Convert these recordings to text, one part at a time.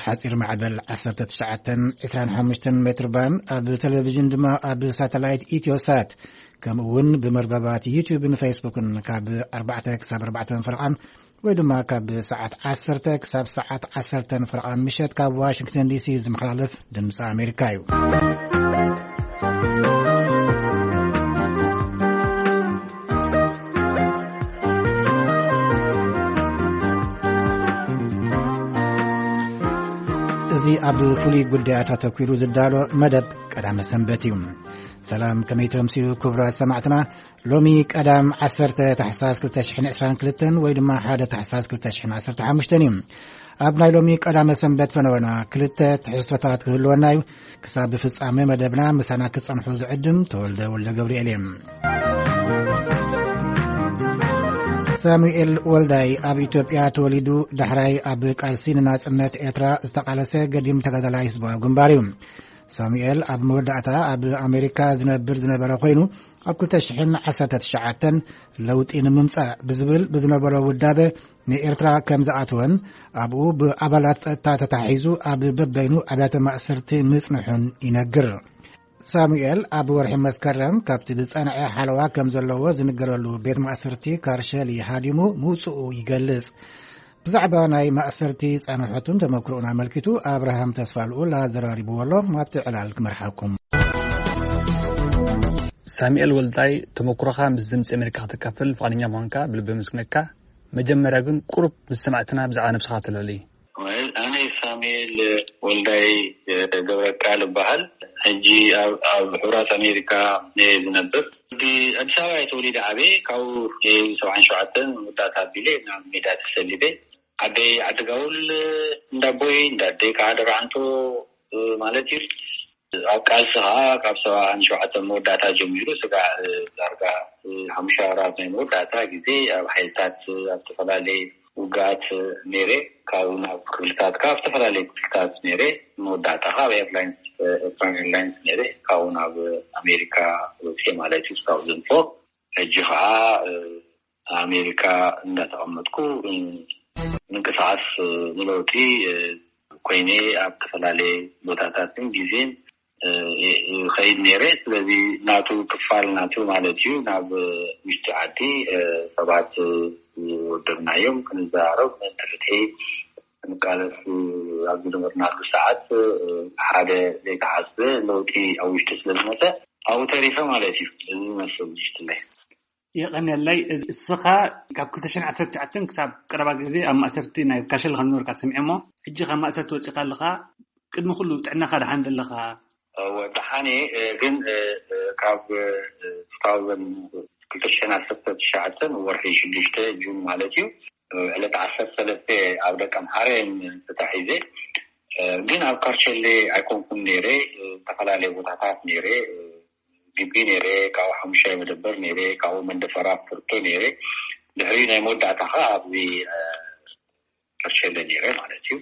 ሓጺር ማዕበል ዓሰርተ ትሽዓተ ዕስራን ሓሙሽተን ሜትር ባንድ፣ ኣብ ቴሌቪዥን ድማ ኣብ ሳተላይት ኢትዮሳት፣ ከምኡ እውን ብመርበባት ዩቲዩብን ፌስቡክን ካብ ኣርባዕተ ክሳብ ኣርባዕተ ፈረቓን ወይ ድማ ካብ ሰዓት ዓሰርተ ክሳብ ሰዓት ዓሰርተ ፈረቓን ምሸት ካብ ዋሽንግተን ዲሲ ዝመሓላለፍ ድምፂ ኣሜሪካ እዩ። እዚ ኣብ ፍሉይ ጉዳያት ኣተኲሩ ዝዳሎ መደብ ቀዳመ ሰንበት እዩ። ሰላም፣ ከመይ ተምስዩ ክቡራት ሰማዕትና? ሎሚ ቀዳም ዓሰርተ ታሕሳስ ክልተ ሽሕን ዕስራን ክልተን ወይ ድማ ሓደ ታሕሳስ ክልተ ሽሕን ዓሰርተ ሓሙሽተን እዩ። ኣብ ናይ ሎሚ ቀዳመ ሰንበት ፈነወና ክልተ ትሕዝቶታት ክህልወና እዩ። ክሳብ ፍጻሜ መደብና ምሳና ክጸንሑ ዝዕድም ተወልደ ወልደ ገብርኤል እየ። ሳሙኤል ወልዳይ ኣብ ኢትዮጵያ ተወሊዱ፣ ዳሕራይ ኣብ ቃልሲ ንናጽነት ኤርትራ ዝተቓለሰ ገዲም ተጋዳላይ ህዝባዊ ግንባር እዩ። ሳሙኤል ኣብ መወዳእታ ኣብ ኣሜሪካ ዝነብር ዝነበረ ኮይኑ፣ ኣብ ክልተ ሽሕን ዓሰርተ ትሽዓተን ለውጢ ንምምጻእ ብዝብል ብዝነበሮ ውዳበ ንኤርትራ ከም ዝኣተወን ኣብኡ ብኣባላት ጸጥታ ተታሒዙ ኣብ በበይኑ ኣብያተ ማእሰርቲ ምጽንሑን ይነግር። ሳሙኤል ኣብ ወርሒ መስከረም ካብቲ ዝጸንዐ ሓለዋ ከም ዘለዎ ዝንገረሉ ቤት ማእሰርቲ ካርሸሊ ሃዲሙ ምውጽኡ ይገልጽ። ብዛዕባ ናይ ማእሰርቲ ጻንሖቱን ተመክሮኡን ኣመልኪቱ ኣብርሃም ተስፋልኡል ኣዘራሪብዎ ኣሎ። ኣብቲ ዕላል ክመርሓኩም። ሳሙኤል ወልዳይ፣ ተመክሮኻ ምስ ድምፂ ኣሜሪካ ከተካፍል ፍቓደኛ ምዃንካ ብልቢ የመስግነካ። መጀመርያ ግን ቁሩብ ምስ ሰማዕትና ብዛዕባ ነብስኻ ተለሊ። ኣነ ሳሙኤል ወልዳይ ገብረቃል እበሃል። ሕጂ ኣብ፣ ኣብ ሕቡራት ኣሜሪካ እየ ዝነብር። ኣዲስ ኣበባ እየ ተወሊደ ዓብየ። ካብኡ እየ ሰብዓን ሸውዓተን መወዳእታ ኣቢለ ናብ ሜዳ ተሰሊፈ። ዓደይ ዓዲ ጋውል እንዳቦይ፣ እንዳደይ ከዓ ደራዕንቶ ማለት እዩ። ኣብ ቃልሲ ከዓ ካብ ሰብዓን ሸውዓተን መወዳእታ ጀሚሩ ስጋዕ ዳርጋ ሓሙሽተ ወራት ናይ መወዳእታ ግዜ ኣብ ሓይልታት ኣብ ዝተፈላለየ ውግኣት ነይረ። ካብኡ ናብ ክፍልታት፣ ካብ ዝተፈላለየ ክፍልታት ነይረ። መወዳእታ ከዓ ኣብ ኤርላይንስ፣ ኤርትራን ኤርላይንስ ነይረ። ካብኡ ናብ ኣሜሪካ ወፅየ ማለት እዩ፣ ስካውት ዘንፎ። ሕጂ ከዓ ኣሜሪካ እንዳተቐመጥኩ ምንቅስቃስ ንለውጢ ኮይነ ኣብ ዝተፈላለየ ቦታታትን ግዜን ይኸይድ ነይረ። ስለዚ ናቱ ክፋል ናቱ ማለት እዩ። ናብ ውሽጢ ዓዲ ሰባት ዝወደብናዮም ክንዘራረብ፣ ምእንቲ ፍትሒ ክንቃለስ ኣብ ዝነበርናሉ ሰዓት ሓደ ዘይተሓስበ ለውጢ ኣብ ውሽጢ ስለ ዝመፀ ኣብኡ ተሪፈ ማለት እዩ። እዚ ዝመስል ውሽጥለይ። የቐንየለይ። እዚ እስኻ ካብ ክልተ ሽሕን ዓሰርተ ትሽዓተን ክሳብ ቀረባ ግዜ ኣብ ማእሰርቲ ናይ ካሸል ከም ዝነበርካ ሰሚዐ እሞ፣ ሕጂ ካብ ማእሰርቲ ወጺእካ ኣለኻ። ቅድሚ ኩሉ ጥዕናኻ ደሓን ዘለኻ? እወ፣ ደሓን እየ። እ፣ ግን፣ እ፣ እ፣ ካብ፣ እ፣ ክልተ ሽሕን ዓሰርተ ትሽዓተን ወርሒ ሽዱሽተ፣ ጁን ማለት እዩ፣ እ፣ ዕለት ዓሰርተ ሰለስተ ኣብ ደቀ ምሓረ ተታሒዘ። እ፣ ግን ኣብ ካርቸሌ ኣይኮንኩን ነይረ። እ፣ ዝተፈላለየ ቦታታት ነይረ። እ፣ ግቢ ነይረ፣ ካብኡ ሓሙሻይ መደበር ነይረ፣ ካብኡ መንደፈራ ፍርቶ ነይረ። ድሕሪ ናይ መወዳእታ ከዓ ኣብዚ፣ እ፣ ከርሸለ ነይረ ማለት እዩ።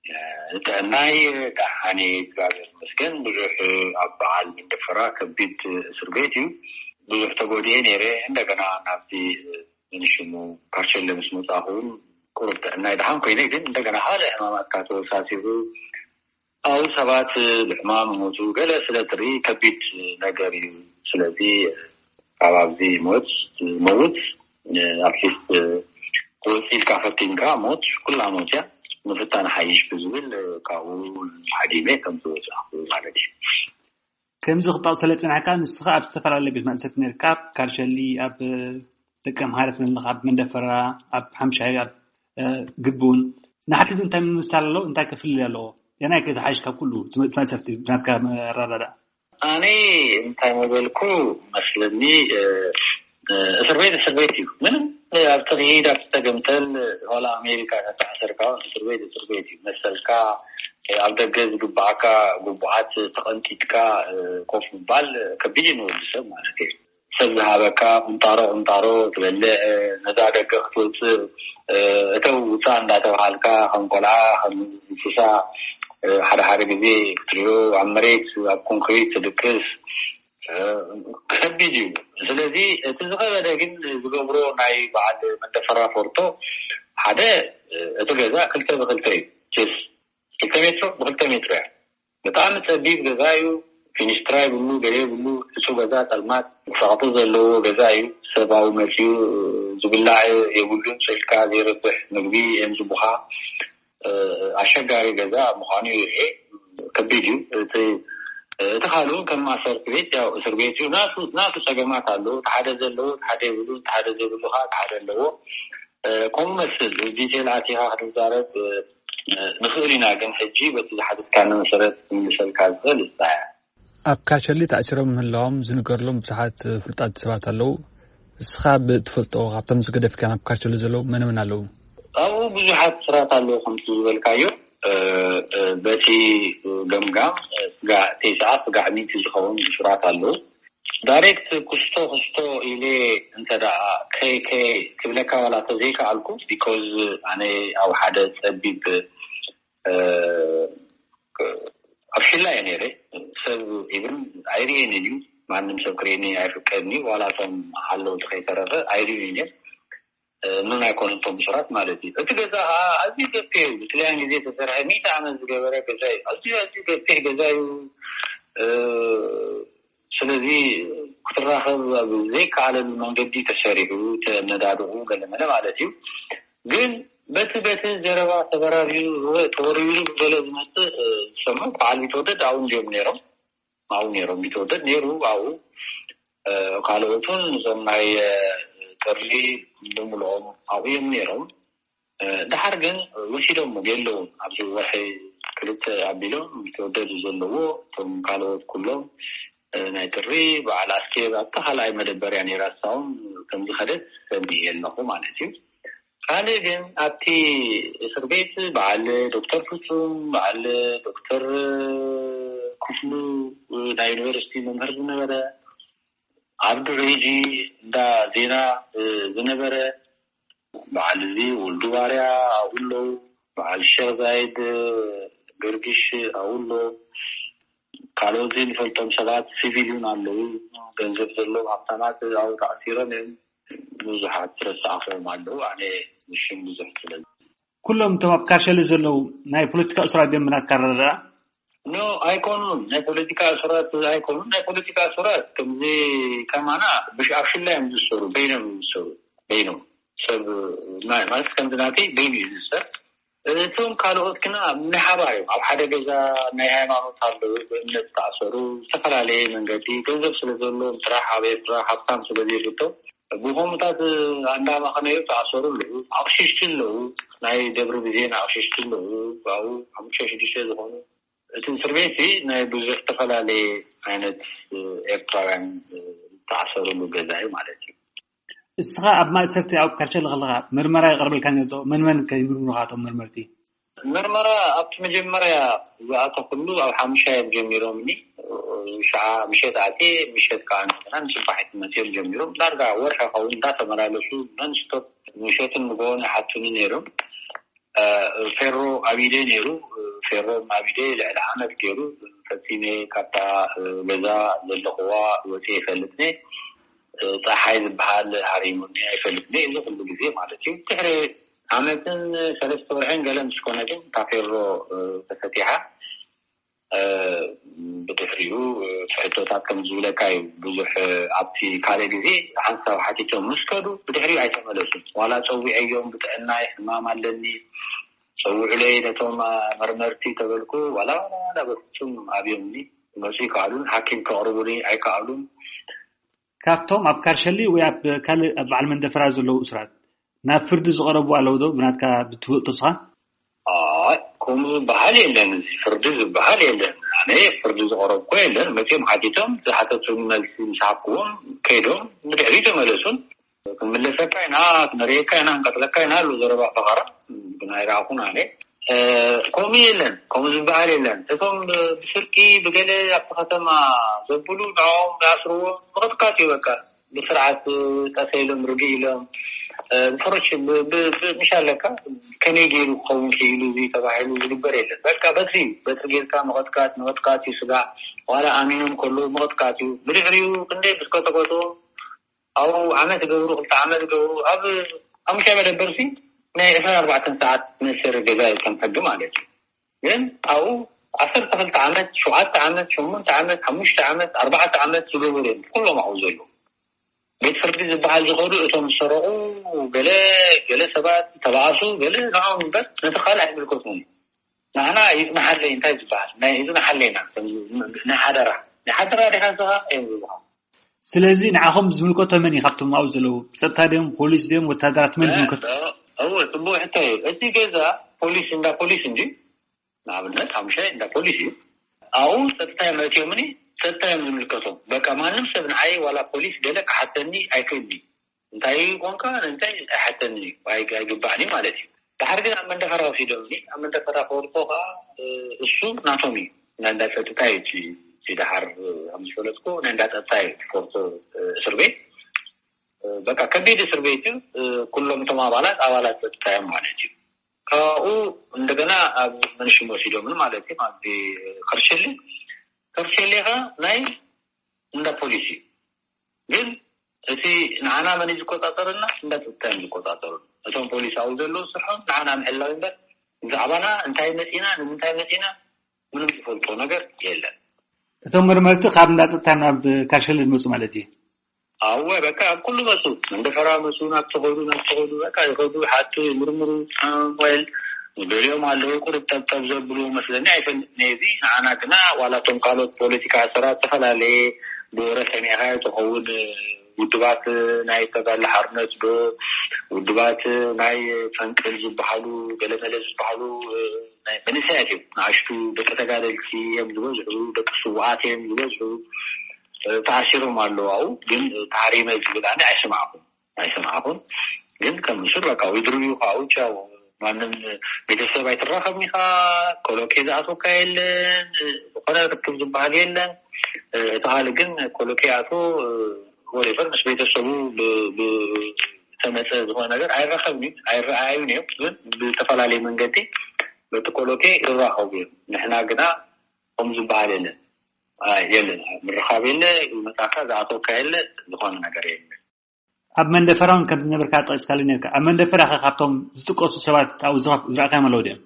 እ፣ ጥዕናይ ደሓን እዩ፣ እግዚኣብሔር ይመስገን። ብዙሕ ኣብ በዓል መንደፈራ ከቢድ እስር ቤት እዩ። ብዙሕ ተጎዲኤ ነይረ። እንደገና ናብዚ፣ እ፣ ንሽሙ ከርሸለ ምስ መጻኹ እውን ቁሩብ ጥዕናይ ደሓን ኮይነ፣ ግን እንደገና ካልእ ሕማማት ካብ ተወሳሲኹ ኣብኡ ሰባት ብሕማም ይሞቱ፣ ገለ ስለ ትርኢ ከቢድ ነገር እዩ። ስለዚ ካብ ኣብዚ ሞት መውት፣ ኣትሊስት ክወፅእ ኢልካ ፈቲንካ፣ ሞት ኩላ ሞት እያ፣ ምፍታን ሓይሽ ብዝብል ካብኡ ሓዲመ ከም ዝወፃእኩ ማለት እዩ። ከምዚ ክጠቕሰለ ጽናሕካ፣ ንስኻ ኣብ ዝተፈላለየ ቤት ማእሰርቲ ነርካ፣ ኣብ ካርሸሊ፣ ኣብ ደቀ ምሓረት መለኻ፣ ኣብ መንደፈራ፣ ኣብ ሓምሻይ፣ ኣብ፣ እ፣ ግቡን። ንሓድሕዱ እንታይ ምምሳል ኣለዎ? እንታይ ክፍልል ኣለዎ? የናይ ከ ዝሓይሽ ካብ ኩሉ ትም-፣ ትመሰርቲ ብናትካ ኣረዳድኣ? ኣነ እንታይ መበልኩ መስለኒ፣ እ፣ እ፣ እስር ቤት እስር ቤት እዩ። ምንም፣ እ፣ ኣብ ትኽይድ ኣብ ተገምተል፣ ዋላ ኣሜሪካ ተተኣሰርካ እውን እስር ቤት እስር ቤት እዩ። መሰልካ፣ እ፣ ኣብ ደገ ዝግባኣካ ግቡኣት ተቐንጢጥካ፣ እ፣ ኮፍ ምባል ከቢድ እዩ ንወዲ ሰብ ማለት እዩ። ሰብ ዝሃበካ ቁንጣሮ ቁንጣሮ ትበልዕ፣ ነዛ ደገ ክትወፅእ፣ እተው ውፃእ እንዳተባሃልካ ከም ቆልዓ፣ ከም እንስሳ፣ ሓደ ሓደ ግዜ ክትሪኦ ኣብ መሬት፣ ኣብ ኮንክሪት ትድቅስ፣ ከቢድ እዩ። ስለዚ እቲ ዝኸበደ ግን ዝገብሮ ናይ በዓል መንደፈራ ፎርቶ፣ ሓደ እቲ ገዛ ክልተ ብክልተ እዩ። ጀስ ክልተ ሜትሮ ብክልተ ሜትሮ እያ። ብጣዕሚ ጸቢብ ገዛ እዩ። ፊኒስትራ ይብሉ፣ ገለ ይብሉ። እሱ ገዛ ጸልማት ሸቕጢ ዘለዎ ገዛ እዩ። ሰብኣዊ መጺኡ ዝብላዕ የብሉን። ስልካ ዘይረብሕ ምግቢ እዮም ዝቡኻ። ኣሸጋሪ ገዛ ምዃኑ ይርኤ። ከቢድ እዩ። እቲ እቲ ካልኡ ከም ማእሰርቲ ቤት፣ ያው እስር ቤት እዩ። ናቱ ናቱ ጸገማት ኣለዎ። ሓደ ዘለዎ ሓደ የብሉን፣ ሓደ ዘይብሉ ከዓ ሓደ ኣለዎ። ከምኡ መስል ዲቴል ኣቲኻ ክትዛረብ ንኽእል ኢና፣ ግን ሕጂ በቲ ዝሓተትካኒ መሰረት ክምልሰልካ ዝኽእል እሳ እያ። ኣብ ካሸሊ ተኣሲሮም ምህላዎም ዝንገረሎም ብዙሓት ፍሉጣት ሰባት ኣለዉ። እስኻ ብትፈልጦ ካብቶም ዝገደፍካ ኣብ ካሸሊ ዘለዉ መን መን ኣለዉ? ኣብኡ ብዙሓት ስራት ኣለዉ፣ ከምቲ ዝበልካዮ። በቲ ገምጋም ስጋ ቴስዓ ስጋ ዕሚቲ ዝኸውን ስራት ኣለዉ። ዳይሬክት ክስቶ ክስቶ ኢለ እንተ ደኣ ከይ ከይ ክብለካ ዋላ ተዘይከኣልኩ፣ ቢኮዝ ኣነ ኣብ ሓደ ጸቢብ ኣብ ሽላ እየ ነይረ። ሰብ ኢብን ኣይርእየን እዩ። ማንም ሰብ ክርእየኒ ኣይፍቀድኒ። ዋላ እቶም ሓለውቲ ከይተረፈ ኣይርእዩን እዮም። ምን ኣይኮኑ እቶም ብሱራት ማለት እዩ። እቲ ገዛ ከዓ ኣዝዩ ገፊሕ እዩ። ብክልያን ግዜ ተሰርሐ ሚእቲ ዓመት ዝገበረ ገዛ እዩ። ኣዝዩ ኣዝዩ ገፊሕ ገዛ እዩ። ስለዚ ክትራኸብ ኣብ ዘይከኣለሉ መንገዲ ተሰሪሑ ተነዳድቑ ገለመለ ማለት እዩ። ግን በቲ በቲ ዘረባ ተበራቢሩ ተወርቢሩ ገለ ዝመፅእ ዝሰምዑ በዓል ቢትወደድ ኣብኡ እዮም ነይሮም። ኣብኡ ነይሮም። ቢትወደድ ነይሩ ኣብኡ። ካልኦቱን እዞም ናይ ጥሪ ብምልኦም ኣብኡ እዮም ነይሮም። ድሓር ግን ወሲዶም የለውን። ኣብዚ ወርሒ ክልተ ኣቢሎም ቢትወደድ ዘለዎ እቶም ካልኦት ኩሎም ናይ ጥሪ በዓል ኣስቴር ኣብታ ካልኣይ መደበርያ ነይራ። እሳውን ከምዝኸደት ሰሚዕ ኣለኹ ማለት እዩ። ካልእ ግን ኣብቲ እስር ቤት በዓል ዶክተር ፍጹም፣ በዓል ዶክተር ክፍሉ ናይ ዩኒቨርሲቲ መምህር ዝነበረ፣ ኣብዱ ሬጂ እንዳ ዜና ዝነበረ፣ በዓል እዚ ወልዱ ባርያ ኣብኡ ኣለዉ፣ በዓል ሸኽ ዛይድ ገርጊሽ ኣብኡ ኣሎ። ካልኦት ዘይንፈልጦም ሰባት ሲቪልዩን ኣለዉ። ገንዘብ ዘለዎም ሃብታማት ኣብኡ ተኣሲሮም እዮም። ብዙሓት ረሳዕኹዎም ኣለዉ። ኣነ ንሽም ብዙሕ ስለ ኩሎም እቶም ኣብ ካሸሊ ዘለዉ ናይ ፖለቲካ እሱራት ድዮም ብናትካ ኣረዳድኣ? ኖ፣ ኣይኮኑን። ናይ ፖለቲካ እሱራት ኣይኮኑን። ናይ ፖለቲካ እሱራት ከምዚ ከማና ብሽ ኣብ ሽላ እዮም ዝሰሩ፣ በይኖም እዮም ዝሰሩ። በይኖም ሰብ ናይ ማለት ከምዚ ናተይ በይኑ እዩ ዝሰር። እቶም ካልኦት ግና ናይ ሓባር እዮም። ኣብ ሓደ ገዛ ናይ ሃይማኖት ኣለዉ፣ ብእምነት ዝተኣሰሩ፣ ዝተፈላለየ መንገዲ ገንዘብ ስለ ዘለዎም ጥራሕ ኣብ ኤርትራ ሃብታም ስለ ዘይብቶም ብኸምኡታት እንዳመኸነዩ ተኣሰሩ ኣለዉ። ኣቕሽሽቲ ኣለዉ፣ ናይ ደብሪ ብዜን ኣቕሽሽቲ ኣለዉ። ኣብኡ ሓሙሽተ ሽዱሽተ ዝኾኑ። እቲ እስር ቤት ናይ ብዙሕ ዝተፈላለየ ዓይነት ኤርትራውያን ዝተኣሰሩሉ ገዛ እዩ ማለት እዩ። እስኻ ኣብ ማእሰርቲ ኣብ ካርቸሊ ከለኻ ምርመራ ይቐርበልካ ነይሩ ዶ? መን መን ከ ይምርምሩኻ እቶም መርመርቲ? ምርመራ ኣብቲ መጀመርያ ዝኣተኹሉ ኣብ ሓሙሻይ እዮም ጀሚሮምኒ። ሸዓ ምሸት ኣትየ፣ ምሸት ከዓ እንደገና ንጽባሒት መጽዮም ጀሚሮም። ዳርጋ ወርሒ ይኸውን እንዳተመላለሱ ነንስቶፕ ምሸትን ንግሆን ይሓቱኒ ነይሮም። እ፣ ፌሮ ኣብ ኢደይ ነይሩ። ፌሮ ኣብ ኢደይ ልዕሊ ዓመት ገይሩ ፈጺመ ካብታ፣ እ፣ ገዛ ዘለኽዋ ወጺኤ ይፈልጥኒ። እ፣ ጸሓይ ዝበሃል ሃሪሙኒ ኣይፈልጥኒ። እዚ ኩሉ ግዜ ማለት እዩ። ድሕሪ ዓመትን ሰለስተ ወርሕን ገለ ምስ ኮነ ግን እታ ፌሮ፣ እ፣ ተፈቲሓ። እ፣ ብድሕሪኡ፣ እ፣ ሕቶታት ከም ዝብለካ እዩ። ብዙሕ፣ እ፣ ኣብቲ ካልእ ግዜ ሓንሳብ ሓቲቶም ምስ ከዱ ብድሕሪኡ ኣይተመለሱን። ዋላ ጸዊዐዮም፣ ብጥዕናይ ሕማም ኣለኒ፣ ጸውዑለይ ነቶም፣ እ፣ መርመርቲ ተበልኩ፣ ዋላ፣ ዋላ፣ ዋላ በፍጹም ኣብዮምኒ ክመጹ ይከኣሉን፣ ሓኪም ከቕርቡኒ ኣይከኣሉን። ካብቶም ኣብ ካርሸሊ ወይ ኣብ ካልእ ኣብ በዓል መንደፈራ ዘለዉ እሱራት ናብ ፍርዲ ዝቐረቡ ኣለዉ ዶ? ብናትካ ብትፈልጦ እስኻ? ኣይ፣ ከምኡ ዝበሃል የለን። እዚ ፍርዲ ዝበሃል የለን። ኣነ ፍርዲ ዝቐረብኩ የለን። መጺኦም ሓቲቶም ዝሓተቱኒ መልሲ ምስ ሃብክዎም ከይዶም ብድሕሪኡ ተመለሱን። ክንምለሰካ ኢና፣ ክንርእየካ ኢና፣ ክንቀትለካ ኢና ኣሎ ዘረባ ፈኸራ። ግን ኣይረኣኹን ኣነ። እ፣ ከምኡ የለን፣ ከምኡ ዝበሃል የለን። እቶም ብስርቂ ብገለ ኣብቲ ከተማ ዘብሉ ንዕኦም ይኣስርዎም፣ ምቕጥቃጥ እዩ በቃ። ብስርዓት ጠሰ ኢሎም፣ ርግእ ኢሎም፣ እ፣ ብፍሩሽ ብ-፣ ብ-፣ ብ-፣ ምሽ ኣለካ፣ ከመይ ገይሩ ክኸውን ክኢሉ እዚ ተባሂሉ ዝግበር የለን። በቃ በትሪ እዩ። በትሪ ጌርካ ምቕጥቃጥ፣ ምቕጥቃጥ እዩ ስጋዕ። ዋላ ኣሚኖም ከለዉ ምቕጥቃጥ እዩ። ብድሕሪኡ ክንደይ ምስ ቀጠቀጡ፣ ኣብኡ ዓመት ገብሩ፣ ክልተ ዓመት ገብሩ፣ ኣብ ሓሙሽተ መደበር ሲ ናይ ዕስራን ኣርባዕተን ሰዓት መእሰሪ ገዛ እዩ ከም ሕጊ ማለት እዩ። ግን ኣብኡ ዓሰርተ ክልተ ዓመት፣ ሸውዓተ ዓመት፣ ሸሞንተ ዓመት፣ ሓሙሽተ ዓመት፣ ኣርባዕተ ዓመት ዝገበሩ እዮም ኩሎም ኣብኡ ዘለዉ። ቤት ፍርዲ ዝበሃል ዝኸዱ እቶም ዝሰረቑ ገለ ገለ ሰባት ተባኣሱ ገለ ንዖም እምበር ነቲ ካልእ ኣይምልከቱን። ንሕና ይጽናሓለይ እንታይ ዝበሃል ናይ ይጽናሓለይና ናይ ሓደራ ናይ ሓደራ ዲኻ ዝኻ እዮም ዝበሃል። ስለዚ ንዓኹም ዝምልከቶ መን እዩ ካብቶም ኣብኡ ዘለዉ? ጸጥታ ድዮም፣ ፖሊስ ድዮም፣ ወታደራት መን ዝምልከቶ? እወ፣ ጽቡቅ ሕቶ እዩ። እቲ ገዛ ፖሊስ እንዳ ፖሊስ እንዲ ንኣብነት ሓሙሻይ እንዳ ፖሊስ እዩ። ኣብኡ ጸጥታ እዮም ኣእትዮምኒ፣ ጸጥታ እዮም ዝምልከቶም። በቃ ማንም ሰብ ንዓይ ዋላ ፖሊስ ገለ ክሓተኒ ኣይክእልኒ። እንታይ ቋንቋ እንታይ ኣይሓተኒ ኣይግባዕኒ ማለት እዩ። ድሓር ግን ኣብ መንደፈራ ወሲዶምኒ። ኣብ መንደፈራ ክወድቆ ከዓ እሱ ናቶም እዩ። ናይ እንዳ ጸጥታ እዩ። እቲ ደሓር ከም ዝፈለጥኩ ናይ እንዳ ጸጥታ እዩ። ፎርቶ እስር ቤት በቃ ከቢድ እስር ቤት እዩ። ኩሎም እቶም ኣባላት ኣባላት ጸጥታ እዮም ማለት እዩ። ካብኡ እንደገና ኣብ መንሽም ወሲዶምኒ ማለት እዩ። ኣብዚ ከርሸሊ ከርሸሊ ከ ናይ እንዳ ፖሊስ እዩ። ግን እቲ ንዓና መን እዩ ዝቆጻጸረና? እንዳ ጸጥታ እዮም ዝቆጻጸሩ። እቶም ፖሊስ ኣብኡ ዘለዉ ስርሖም ንዓና ምሕላው እምበር ብዛዕባና እንታይ መጺና ንምንታይ መጺና ምንም ዝፈልጦ ነገር የለን። እቶም መርመርቲ ካብ እንዳ ጸጥታ ናብ ካርሸሊ ዝመጹ ማለት እዩ። ኣወ በቃ ኣብ ኩሉ መጹ። መንደፈራ መጹ፣ ናብ ተኸዱ ናብ ተኸዱ በቃ ይኸዱ፣ ሓቱ ይምርምሩ። ወይል ገሊኦም ኣለዉ ቁርብ ጠብጠብ ዘብሉ መስለኒ ኣይፈልጥ ነዚ። ንዓና ግና ዋላ እቶም ካልኦት ፖለቲካ ኣሰራት ዝተፈላለየ ብወረ ሰሚዕካ ትኸውን ውድባት ናይ ተጋድሎ ሓርነት ዶ ውድባት ናይ ፈንቅል ዝበሃሉ ገለመለ ዝበሃሉ ናይ መንእሰያት እዮም። ንኣሽቱ ደቂ ተጋደልቲ እዮም ዝበዝሑ፣ ደቂ ስውኣት እዮም ዝበዝሑ። ተኣሲሮም ኣለዉ ኣብኡ። ግን ተሃሪመ ዝብል ኣነ ኣይሰማዕኩን ኣይሰማዕኩን። ግን ከም ምስር በቃ ወይ ድርብዩ ከዓ ውጭ ያው ማንም ቤተሰብ ኣይትራኸብን ኢኻ። ኮሎኬ ዝኣቶካ የለን፣ ዝኾነ ርክብ ዝበሃል የለን። እቲ ካልእ ግን ኮሎኬ ኣቶ ወሬፈር ምስ ቤተሰቡ ዝተመፀ ዝኾነ ነገር ኣይራኸብን እዩ ኣይረኣዩን እዮም። ግን ብዝተፈላለየ መንገዲ በቲ ኮሎኬ ይራኸቡ እዮም። ንሕና ግና ከም ዝበሃል የለን። የለን፣ ምርኻብ የለ፣ ይመጣካ ዝኣተወካ የለ፣ ዝኾነ ነገር የለ። ኣብ መንደፈራውን ከም ዝነበርካ ጠቂስካሉ ነርካ። ኣብ መንደፈራ ከ ካብቶም ዝጥቀሱ ሰባት ኣብኡ ዝረኣካዮም ኣለዉ ድዮም?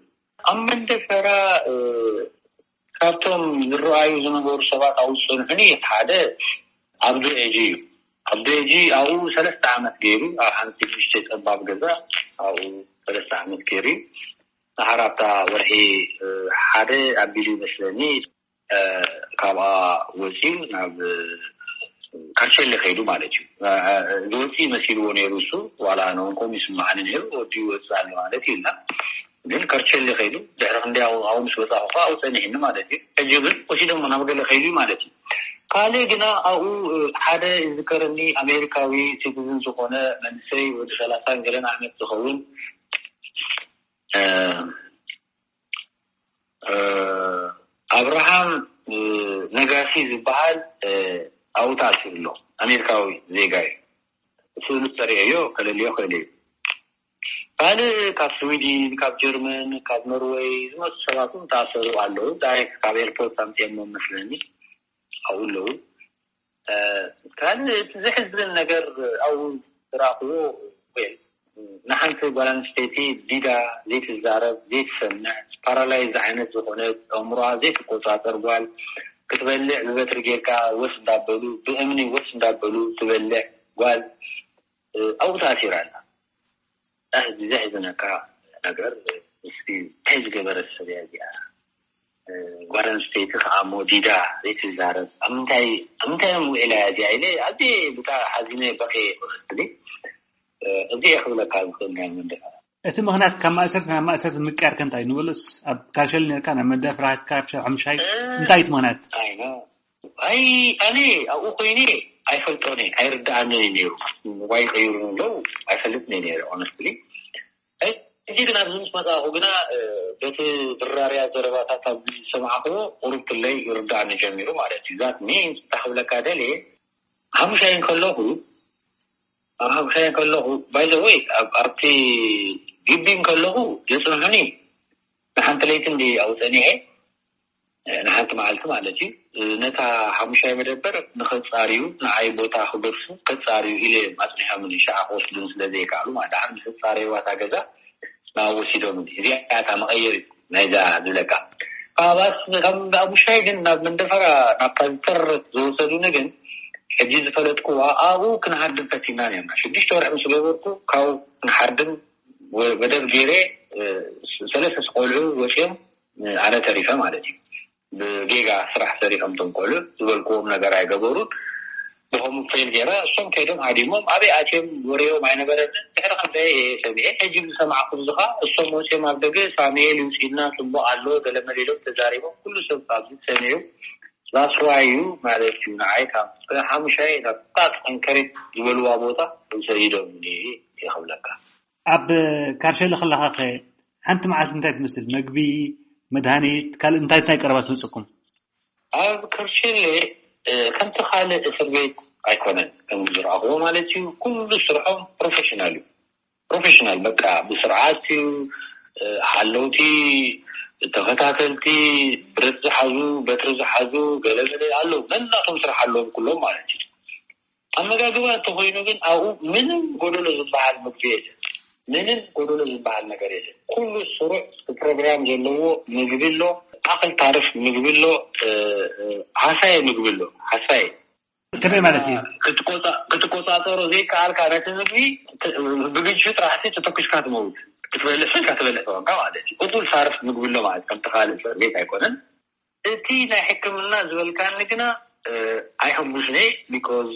ኣብ መንደፈራ ካብቶም ዝረኣዩ ዝነበሩ ሰባት ኣብኡ ዝፀንሑኒ ሓደ ኣብዱ ኤጂ እዩ። ኣብዱ ኤጂ ኣብኡ ሰለስተ ዓመት ገይሩ ኣብ ሓንቲ ንእሽተይ ፀባብ ገዛ ኣብኡ ሰለስተ ዓመት ገይሩ እዩ። ንሓራብታ ወርሒ ሓደ ኣቢሉ ይመስለኒ ካብኣ ወፂኡ ናብ ካርቸሊ ከይዱ ማለት እዩ። ዝወፂ መሲልዎ ነይሩ እሱ። ዋላ ነውን ከም ይስማዓኒ ነይሩ ወዲ ይወፅእ ኣሎ ማለት እዩ። እና ግን ከርቸሊ ከይዱ ድሕሪ ክንደ ኣው ምስ ወፃኹ ከዓ ኣው ፀኒሕኒ ማለት እዩ። ሕጂ ግን ወሲዶሞ ናብ ገለ ከይዱ ማለት እዩ። ካልእ ግና ኣብኡ ሓደ ይዝከረኒ ኣሜሪካዊ ሲቲዝን ዝኾነ መንሰይ ወዲ ሰላሳን ገለን ዓመት ዝኸውን ኣብርሃም ነጋሲ ዝበሃል ኣብኡ ተኣሲሩ ኣሎ። ኣሜሪካዊ ዜጋ እዩ። ስእሉ ተርእዮ ከለልዮ ክእል እዩ። ካልእ ካብ ስዊድን፣ ካብ ጀርመን፣ ካብ ኖርወይ ዝመፁ ሰባት እውን ተኣሰሩ ኣለዉ። ዳይሬክት ካብ ኤርፖርት ኣምፅኦሞ መስለኒ ኣብኡ ኣለዉ። ካልእ እቲ ዘሕዝን ነገር ኣብኡ ዝረኣኽዎ ወይ ንሓንቲ ጓል ኣንስተይቲ ዲዳ ዘይትዛረብ ዘይትሰምዕ ፓራላይዝ ዓይነት ዝኾነት ኣእምሮኣ ዘይትቆፃፀር ጓል ክትበልዕ ብበትሪ ጌርካ ወስ እንዳበሉ ብእምኒ ወስ እንዳበሉ ትበልዕ ጓል ኣብኡ ተኣሲራ ኣላ። ኣህ ዘሕዝነካ ነገር እስኪ እንታይ ዝገበረት ሰብ እያ እዚኣ? ጓል ኣንስተይቲ ከዓ እሞ ዲዳ ዘይትዛረብ ኣብ ምንታይ ኣብ ምንታይ እዮም ውዒላ እያ እዚኣ ኢለ ኣዝየ ብጣ ሓዚነ በኸ ይኽእል እዚ እየ ክብለካ ዝኽእል ናይ መንደፈራ። እቲ ምኽንያት ካብ ማእሰርቲ ናብ ማእሰርቲ ምቅያር ከ እንታይ ንበሎስ ኣብ ካሸል ነርካ ናብ መዳፍራ ካብ ሻብ ሓሙሻይ እንታይ እቲ ምኽንያት? ኣይ ኣነ ኣብኡ ኮይነ ኣይፈልጦን እየ ኣይርድኣንን እዩ ነይሩ። ዋይ ቀይሩ ኣለዉ ኣይፈልጥን እየ ነይረ ኦነስትሊ። ሕጂ ግን ኣብዚ ምስ መጻእኹ ግና በቲ ድራርያ ዘረባታት ኣብ ዝሰማዕኽዎ ቁሩብ ክለይ ይርድኣኒ ጀሚሩ ማለት እዩ። ዛት ሚንስ እንታይ ክብለካ ደልየ ሓሙሻይ እንከለኹ ኣብ ሓሙሻይ እንከለኹ ባይ ዘ ወይ ኣብቲ ግቢ እንከለኹ የጽንሑኒ ንሓንቲ ለይቲ እንዲ ኣብኡ ጸኒሐ ንሓንቲ መዓልቲ ማለት እዩ። ነታ ሓሙሻይ መደበር ንኸፃርዩ ንዓይ ቦታ ክገድፉ ከፃርዩ ኢለ እዮም ኣፅኒሖምኒ። ሸዓ ክወስዱን ስለ ዘይከኣሉ ማለት ደሓር ምስ ፃረይዋ እታ ገዛ ናብ ወሲዶምኒ። እዚኣ እታ መቐየሪት ናይዛ ዝብለካ። ካብ ኣስ- ካብ ኣቡሻይ ግን ናብ መንደፈራ ናብ ፓንተር ዝወሰዱኒ ግን ሕጂ ዝፈለጥኩዋ ኣብኡ ክንሃድም ፈቲና ነርና። ሽዱሽተ ወርሒ ምስ ገበርኩ ካብኡ ክንሃድም ወ- መደብ ገይረ፣ እ፣ ሰለስተ ቆልዑ ወፂኦም፣ እ፣ ኣነ ተሪፈ ማለት እዩ። ብጌጋ ስራሕ ሰሪሖም እቶም ቆልዑ ዝበልክዎም ነገር ኣይገበሩን። ብኸምኡ ፌል ገይረ እሶም ከይዶም ሃዲሞም ኣበይ ኣትዮም ወሬኦም ኣይነበረንን። ድሕሪ ክንደይ እየ ሰሚዐ። ሕጂ ዝሰማዕኩ ዝኻ እሶም ወፂኦም ኣብ ደገ ሳሙኤል ይውፅእና ፅቡቕ ኣሎ ገለ መለ ኢሎም ተዛሪቦም ኩሉ ሰብ ኣብዚ ሰሚዑ። ዛስዋይ እዩ ማለት እዩ። ንዓይ ካብ ሓሙሻይ ናብ ጣጥ እንከሬት ዝበልዋ ቦታ ሰዲዶም ይኽብለካ። ኣብ ካርሸለ ከለኻ ከ ሓንቲ መዓልቲ እንታይ ትመስል? መግቢ፣ መድሃኒት፣ ካልእ እንታይ እንታይ ቀረባት መፅኩም? ኣብ ከርሸለ ከምቲ ካልእ እስር ቤት ኣይኮነን ከም ዝረኣኽዎ ማለት እዩ። ኩሉ ስርሖም ፕሮፌሽናል እዩ። ፕሮፌሽናል በቃ ብስርዓት እዩ። ሓለውቲ፣ ተኸታተልቲ፣ ብረት ዝሓዙ፣ በትሪ ዝሓዙ ገለመለ ኣለዉ። ነናቶም ስራሕ ኣለዎም ኩሎም ማለት እዩ። ኣመጋግባ እንተኾይኑ ግን ኣብኡ ምንም ጎደሎ ዝበሃል ምግቢ የለን። ምንም ጎደሎ ዝበሃል ነገር የለን። ኩሉ ስሩዕ ፕሮግራም ዘለዎ ምግቢ ኣሎ። ኣክል ታርፍ ምግቢ ኣሎ። ሃሳየ ምግቢ ኣሎ። ሃሳየ ከመይ ማለት እዩ? ክትቆፃፀሮ ዘይከኣልካ ነቲ ምግቢ ብግንሹ ጥራሕሲ ተተኩስካ ትመውት። ክትበልዕ ስልካ ትበልዕ ተወንካ ማለት እዩ። እኩል ታርፍ ምግቢ ኣሎ ማለት ከምቲ ካልእ እስር ቤት ኣይኮነን። እቲ ናይ ሕክምና ዝበልካኒ ግና ኣይሕጉስነ። ቢኮዝ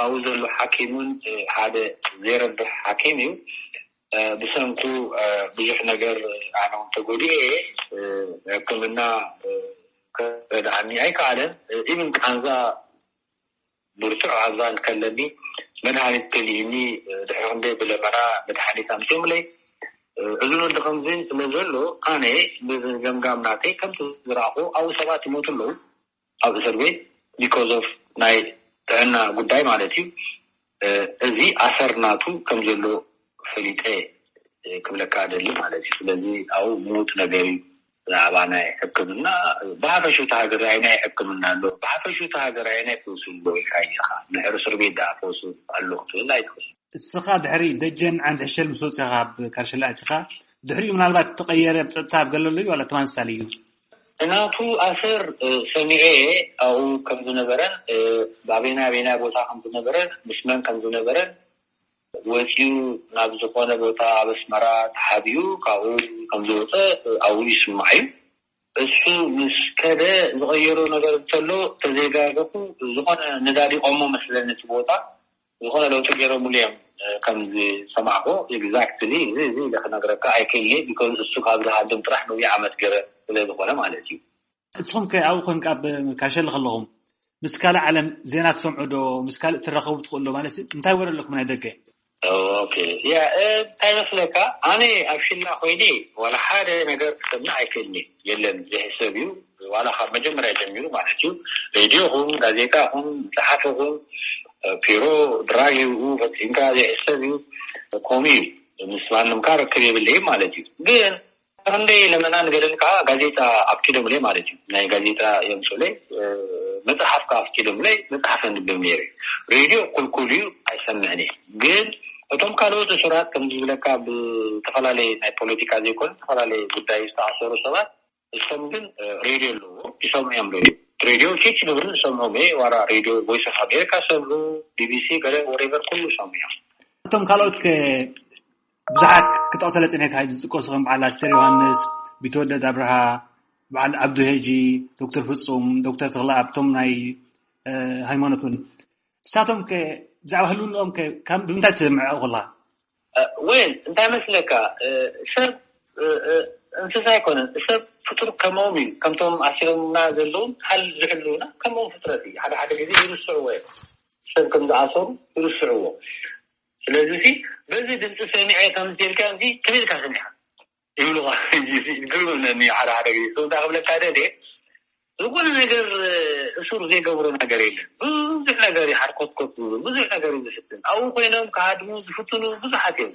ኣብኡ ዘሎ ሓኪም እውን ሓደ ዘይረብሕ ሓኪም እዩ። ብሰንኩ ብዙሕ ነገር ኣነ እውን ተጎዲኤ እየ። ሕክምና ክረድኣኒ ኣይከኣለን። ኢብን ቃንዛ ብርቱዕ ቃንዛ እንከለኒ መድሃኒት ከሊእኒ ድሕሪ ክንደይ ብለመና መድሃኒት ኣምፅኦምለይ። እዚ ወዲ ከምዚ ስለ ዘሎ ኣነ ብገምጋም ናተይ ከምቲ ዝረኣኹ ኣብኡ ሰባት ይሞቱ ኣለዉ ኣብ እስር ቤት because of ናይ ጥዕና ጉዳይ ማለት እዩ። እዚ ኣሰር ናቱ ከም ዘሎ ፈሊጠ ክብለካ ደሊ ማለት እዩ። ስለዚ ኣብኡ ምዉት ነገር እዩ። ብዛዕባ ናይ ሕክምና ብሓፈሹ እቲ ሃገር ኣየናይ ሕክምና ኣሎ፣ ብሓፈሹ እቲ ሃገር ኣየናይ ፈውሲ ኣሎ ኢልካ ኢኻ። ድሕሪ እስር ቤት ደኣ ፈውሲ ኣሎ ክትብል ኣይትኽእል። እስኻ ድሕሪ ደጀን ዓንዲ ሕሸል ምስ ወፂኻ ኣብ ካርሸላ ኣቲኻ ድሕሪኡ ምናልባት ተቐየረ ጸጥታ ኣብ ገለሉ እዩ ዋላ ተመሳሳሊ እዩ? ናቱ ኣሰር ሰሚዐ ኣብኡ ከም ዝነበረን ኣበና ኣበና ቦታ ከም ዝነበረ ምስ መን ከም ዝነበረ ወፂኡ ናብ ዝኾነ ቦታ ኣብ ኣስመራ ተሓቢኡ ካብኡ ከም ዝወፀ ኣብኡ ይስማዕ እዩ። እሱ ምስ ከደ ዝቐየሮ ነገር እንተሎ ተዘይጋገኹ ዝኾነ ነዳዲቖሞ መስለኒ እቲ ቦታ ዝኾነ ለውጢ ገይሮምሉ እዮም ከም ዝሰማዕኮ exactly እዚ እዚ ኢለ ክነግረካ ኣይክእልኒ because እሱ ካብ ዝሃድም ጥራሕ ነዊሕ ዓመት ገይረ ስለ ዝኾነ ማለት እዩ። ንስኹም ከ ኣብኡ ኮንካ ኣብ ካርሸለ ከለኹም ምስ ካልእ ዓለም ዜና ትሰምዑ ዶ? ምስ ካልእ ትራኸቡ ትኽእሉ ዶ? ማለት እንታይ ወረ ኣለኩም ናይ ደገ? ኦኬ ያ እንታይ መስለካ ኣነ ኣብ ሽላ ኮይነ ዋላ ሓደ ነገር ክሰምዕ ኣይክእልኒ የለን ዝሕሰብ እዩ። ዋላ ካብ መጀመርያ ጀሚሩ ማለት እዩ ሬድዮ ኹም ጋዜጣ ኹም መፅሓፊ ኹም ፒሮ ድራግ ይብኡ ፈፂምካ ዘይሕሰብ እዩ። ከምኡ እዩ ምስ ማንም ካ ርክብ የብለይም ማለት እዩ ግን ክንደይ ለመና ንገደል ከዓ ጋዜጣ ኣፍቂዶምለይ ማለት እዩ። ናይ ጋዜጣ የምፅኡለይ መፅሓፍ ከዓ ኣፍቂዶምለይ መፅሓፍ ኣንብብ ነይረ። ሬድዮ ኩልኩል እዩ ኣይሰምዕን እየ። ግን እቶም ካልኦት እሱራት ከም ዝብለካ ብዝተፈላለየ ናይ ፖለቲካ ዘይኮነ ዝተፈላለየ ጉዳይ ዝተኣሰሩ ሰባት እሶም ግን ሬድዮ ኣለዎ ይሰምዑ እዮም። ሬድዮ ሬድዮ ቼች ንብርን ሰምዖም እየ ዋላ ሬድዮ ቮይስ ኦፍ ኣሜሪካ ሰምዑ ቢቢሲ ገለ ወሬቨር ኩሉ ሰምዑ እዮም። እቶም ካልኦት ከ ብዙሓት ክጠቕሰለ ጽኒሕካ ዝጥቀሱ ከም በዓል ኣስተር ዮሃንስ፣ ቢትወደድ ኣብርሃ፣ በዓል ዓብዱ ሄጂ፣ ዶክተር ፍጹም፣ ዶክተር ተኽለኣብ እቶም ናይ ሃይማኖት እውን ንሳቶም ከ ብዛዕባ ህልውንኦም ከ ካብ ብምንታይ ትምዕኦ ከላ? ወይን እንታይ መስለካ ሰብ እንስሳ ኣይኮነን። ሰብ ፍጡር ከመኦም እዩ። ከምቶም ኣሲሮምና ዘለውን ሃል ዝሕልውና ከመኦም ፍጥረት እዩ። ሓደ ሓደ ግዜ ይርስዕዎ እዮም። ሰብ ከም ዝኣሰሩ ይርስዕዎ። ስለዚ ሲ በዚ ድምፂ ሰሚዐ ከምዚ ኢልካ እዚ ክብል ኢልካ ሰሚዕካ ይብሉኻ። ግርምነኒ ሓደ ሓደ ግዜ ሰው እንታይ ክብለካ ደልየ ዝኾነ ነገር እሱር ዘይገብሮ ነገር የለን። ብዙሕ ነገር እዩ ሓርኮትኮት ዝብል ብዙሕ ነገር እዩ ዝፍትን። ኣብኡ ኮይኖም ክሃድሙ ዝፍትኑ ብዙሓት እዮም።